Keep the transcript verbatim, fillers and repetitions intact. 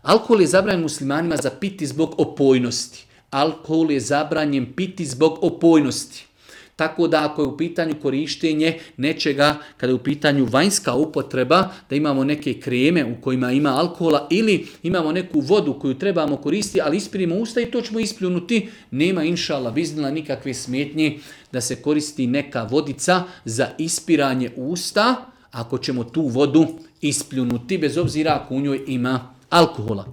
Alkohol je zabranjen muslimanima za piti zbog opojnosti. Alkohol je zabranjen piti zbog opojnosti. Tako da ako je u pitanju korištenje nečega, kada je u pitanju vanjska upotreba, da imamo neke kreme u kojima ima alkohola ili imamo neku vodu koju trebamo koristiti, ali ispirimo usta i to ćemo ispljunuti, nema inša Allah biznila nikakve smetnje da se koristi neka vodica za ispiranje usta, ako ćemo tu vodu ispljunuti, bez obzira ako u njoj ima alkohola.